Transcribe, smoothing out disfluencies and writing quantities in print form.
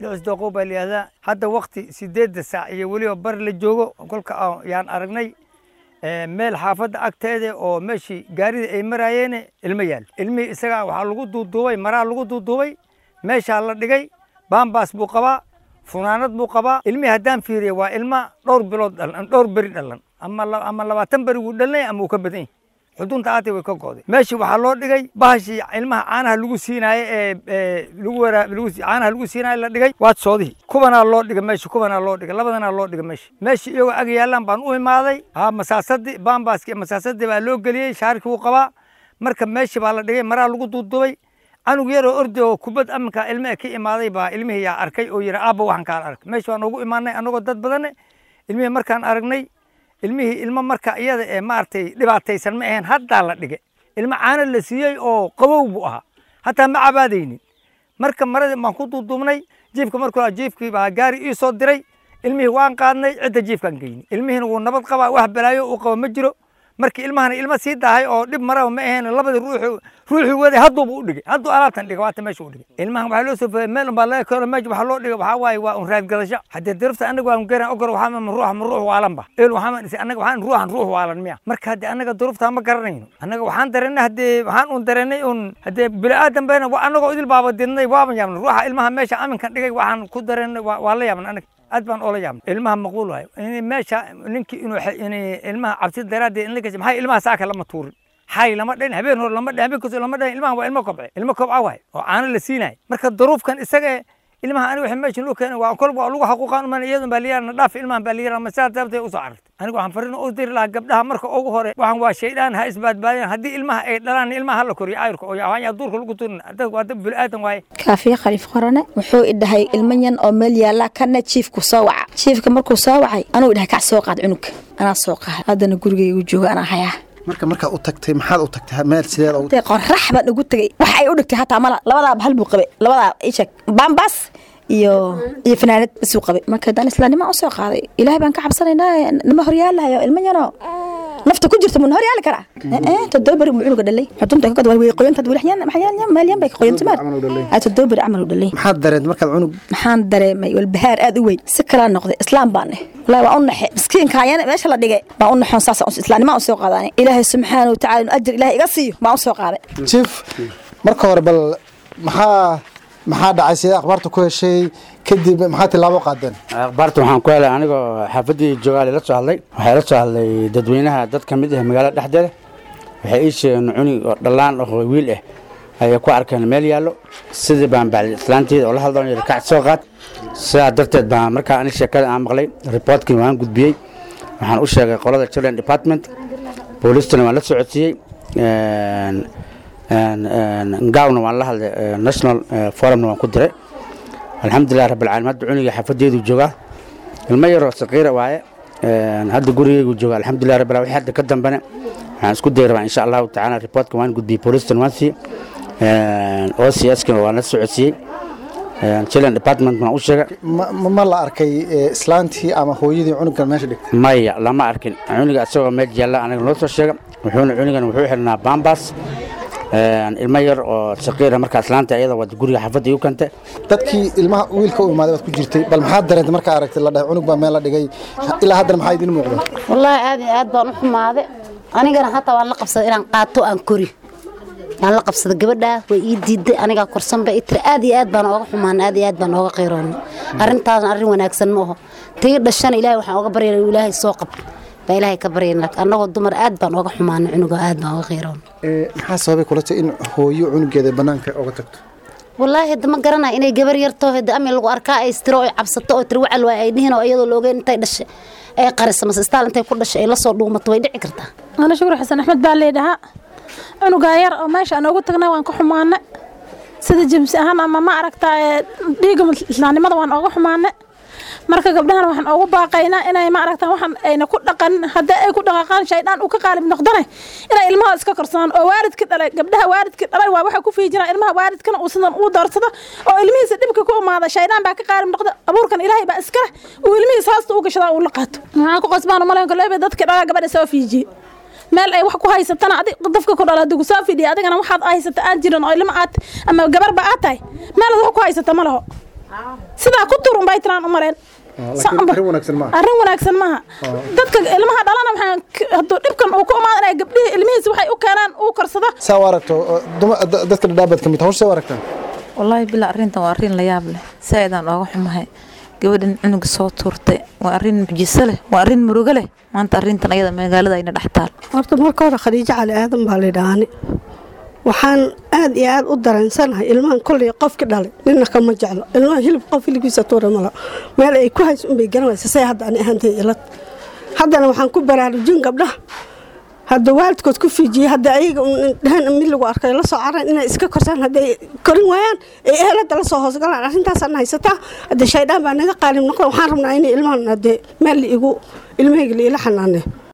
Lixisdooqow baa la yihahdaa. Hadda waqti 8 saac iyo weliba bar la joogo kolka yaan aragnay meel xaafadda agteeda oo meeshii gaarida ay maraayeen ilmo yaal. Ilmihii isagaa waxaa lagu duuduubay maraa lagu duuduubay, meeshaa la dhigay. Baambaas buu qabaa, funaanad buu qabaa. Ilmihii haddaan fiiriyo waa ilma dhowr bilood dhalan, dhowr beri dhalan, ama 20 beri wuu dhalanay ama uu ka badan yahay. Xudunta aatay way ka go'day. Meeshii waxaa loo dhigay bahashii ilmaha caanaha lagu siinaaye ee lagu waraa lagu caanaha lagu siinaaye la dhigay. Waad soodihii kubanaa loo dhigay meesha, kubanaa loo dhigay, labadanaa loo dhigay meesha. Meeshii iyagoo ag yaallaan baan u imaaday. Ha, masaasadii baambaaskii masaasadii baa loo geliyey, shaarkii wuu qabaa. Marka meeshii baa la dhigay, maraa lagu duuduubay. Canug yaroo ordi oo kubad aminka ilmaha ka imaaday baa ilmihii yaa arkay oo yidhi, aabba, waxaan kaan arkay. Meesha waan ugu imaanay annagoo dad badane. Ilmihii markaan aragnay, ilmihii ilmo marka iyada ee maaragtay dhibaataysan ma ahayn. Haddaa la dhigay, ilmo caano la siiyey oo qabow buu ahaa, hataa ma cabaadaynin. Marka maradii baan ku duuduubnay jiifka. Markuu jiifkii baa gaari ii soo diray. Ilmihii waan qaadnay, cidda jiifkaan geynay. Ilmihiina wuu nabad qabaa, wax balaayo uu qabo ma jiro. Markii ilmahana ilmo sii daahay oo dhib maraba ma ahayn. Labadii ruuxu ruuxii waday hadduuba u dhigay, hadduu alaabtan dhigay, waata meesha u dhigay. Ilmahan waxaa loo soo fogay meel unbaa laga keeno. Meesha waxaa loo dhigay waxaa waaye waa un raadgadasho. Haddii dirifta annaga waan garan ogor waxaa ma ruuxa ma ruux waalan ba eel waxaa ma annaga waxaan ruuxan ruux waalan miya? Marka haddii annaga durufta ma garanayno, annaga waxaan dareennay, haddii waxaan un dareennay un haddii bini-aadan bayna waa annagoo idil baaba didnay, waaban yaabnay ruuxa ilmaha meesha aminkan dhigay. Waxaan ku dareennay waa la yaabnay, annaga aad baan oola yaabnay. Ilmaha maqbuul waayo in meesha ninkii inuu ilmaha cabsi daraaddeed in la gashay. Maxay ilmaha saaka lama tuurin, xay lama dhahin, habeen hore lama dhahin, habeen kastoo lama dhahin. Ilmaha waa ilmo kobce, ilmo kobca waay oo caano la siinayo. Marka duruufkan isaga ilmaha aniga waxa meesha loo keenay waa kolba waa lagu xaquuqaan uman iyadun baa liyaana dhaaf ilmahan baa liyaana ma sidaa darteed usoo carartay. Aniga waxaan fariin u diri lahaa gabdhaha. Marka ugu hore waxaan waa shaydaan, ha isbaadbaadeen. Haddii ilmaha ay dhalaan, ilmaha hala koriyo cayrka oo waxaan duurka lagu tuurin. Dad waa dad bini'aadan waaye. Kaafiye Khaliif Qorane wuxuu i dhahay ilmo yan oo meel yaallaa kana jiifku soo waca. Jiifka markuu soo wacay anuu idhahay, kac, soo qaad cunugga. Anaa soo qaad, haddana gurigaygu jooga, anaa hayaa. Marka markaa u tagtay, maxaad u tagtay? Meel sideed ugu Intay qorax baan ugu tegay, wax ay u dhigtay hataa mala. Labadaa bahal buu qabay, labadaa ishak bambas iyo fanaanad basuu qabay. Marka haddaan islaamnimo u soo qaaday, Ilaahay baan ka cabsanaynaa, nama horyaalahayo. Ilmo yanoo nafta ku jirta mun horyaali karaa? 7 beri buu cunuga dhalay, xudunta ka way qoyanta wali xyaan maxyaan maalyan bay qoyanta maar ay 7 beri camal u dhalay. Maxaad dareentay markaad cunug? Maxaan dareemay? Walbahaar aad u weyn, si kalaa noqday. Islaam baan eh, wallahi waa u naxe miskiinka ayana meesha la dhigay baan u naxoon. Saas islaamnimo u soo qaadanay. Ilaahay subxaana watacaala inuu ajir Ilaahay iga siiyo baan u soo qaaday. Jiif, marka hore bal maxaa dhacay? Sidee akhbaarta ku heshay? Kadib maxaa tilaabo qaadeen? Akhbaarta waxaan ku helay anigoo xaafaddii joogaa la soo hadlay. Waxay la soo hadlay dadweynaha, dad ka mid ah magaalada dhexdeeda. Waxay ii sheegeen cunug oo dhallaan oo wiil ah ayay ku arkeen meel yaallo. Sidii baan bacdi islaanteeda oo la hadloon yidhi, kac, soo qaad. Sidaa darteed baan markaa ani sheekada aan maqlay, reportkii waan gudbiyey. Waxaan u sheegay qolada children department, boolistana waan la socodsiiyey, ngawna waan la hadlay, national forumna waan ku diray. Alxamdulilah rabbilcaalamiin, hadda cunuga xaafadeedu joogaa. Ilmo yaroo saqiira waaye, hadda gurigeygu jooga, alxamdulilah rabbil. Wixii hadda ka dambena waxaan isku dayi rabaa insha Allahu tacaala. Reportka waan gudbiyey, boolistana waan siiyey, OCS-kana waan la socodsiiyey, children department waan u sheegay. Ma la arkay islaantii ama hooyadii cunugan meesha dhigtay? Maya, lama arkin. Cunuga isagoo meel yaalla aniga noo soo sheega. Wuxuuna cunugan wuxuu xirnaa bambas, ilmo yar oo saqiira. Markaa islaanta iyada waa guriga xaafadda igu keentay. Dadkii ilmaha wiilka u imaaday baad ku jirtay. Bal maxaad dareentay markaa aragtay la dhahay cunug baa meel la dhigay? Ilaa haddana maxaa idin muuqda? Wallaahi aad iyo aad baan u xumaaday. Anigana hataa waan la qabsaday inaan qaato aan kori, waan la qabsaday. Gabadhaa way ii diiday, anigaa korsan bay tiri. Aad iyo aad baan ooga xumaan, aad iyo aad baan ooga qayroonay. Arrintaasna arrin wanaagsan ma aho. Tii dhashana Ilaahay waxaan ooga baryana inuu Ilaahay soo qabto baa Ilaahay ka baryana, laakiin annagoo dumar aad baan ooga xumaanay cunuga, aad baan ooga qayroonay. Maxaa sababay kula tahay in hooyo cunugeeda banaanka oga tagto? Wallaahi hadda ma garanaya inay gabar yarto hadda ami lagu arkaa ay istiro ay cabsato oo tiri wacal waay ay dhihin oo iyadoo la ogeyn intay dhashay ay qariso mase istaal intay ku dhashay ay la soo dhuumato, way dhici kartaa. Ana Shukur Xasan Axmed baa leedhahaa. Cunugaa yar oo meesha aan ugu tagnay waan ka xumaanay, sida jimsi ahaan ama ma aragtaa dhiigga islaamnimada waan ooga xumaanay. Marka gabdhahan waxaan ugu baaqaynaa inay ma aragtaa waxaan ayna ku dhaqan. Haddii ay ku dhaqaaqaan shaydaan uu ka qaalib noqdane, inay ilmaha iska korsadaan oo waalidka dhalay, gabdhaha waalidka dhalay waa waxa ku fiijinaa ilmaha, waalidkana uu sidan uu doorsado oo ilmihiisa dhibka ku imaada shaydaan baa ka qaalib noqda. Abuurkan Ilaahay baa iska leh, uu ilmihiisa hoosta u gashadaa uu la qaato. Maxaa ku qasbaan umalayn koleyba dadka dhalaa gabadha soo fiijiye meel ay wax ku haysatana. Adig dafka ku dhala haddii kusoo fidhiya, adigana waxaad haysata aan jirin oo ilmo aad ama gabarba aad tahay, meel aad wax ku haysata ma laho. Sidaa ku tuur unbay tiraan u mareen. Laakiin arrin wanaagsan maaha. Arrin wanaagsan maaha. Dadka ilmaha dhalana waxaan hadduu dhibkan uu ku imaado inay gabdhihii ilmihiisa waxay u keenaan uu korsado. Saa u aragto dadka dhadhaabaad ka mid hawsha, saa u aragtaan? Wallaahi bilaa, arrintan waa arrin la yaab leh, saaidaan ooga xumahay. Gabadhan cunuga soo tuurtay waa arrin mucjiso leh, waa arrin murugo leh. Maanta arrintan ayada magaalada ayna dhex taal. Horta marka hore Khadiijo Cali Aadan baa laydhahaani. Waxaan aad iyo aad u dareensanahay ilmahan kolley qofki dhalay nina kama jeclo ilmaha hilib, qof hilibkiisa tuura mala, meel ay ku hayso unbay garan waysa. Say hadda ani ahaantay ilad haddana waxaan ku baraarujin gabdhaha hadda waalidkood ku fiijiyey, hadda ayaga dhahan mid lagu arkay la soo caran inay iska korsaan, hadday korin waayaan ay ehelada la soo hoosgalaan. Arrintaasaan haysataa hadda, shaydaan baa naga qaalib noqda. Waxaan rabnaa inay ilmahan hadde meel la igu ilmahayga la ila xanaanay.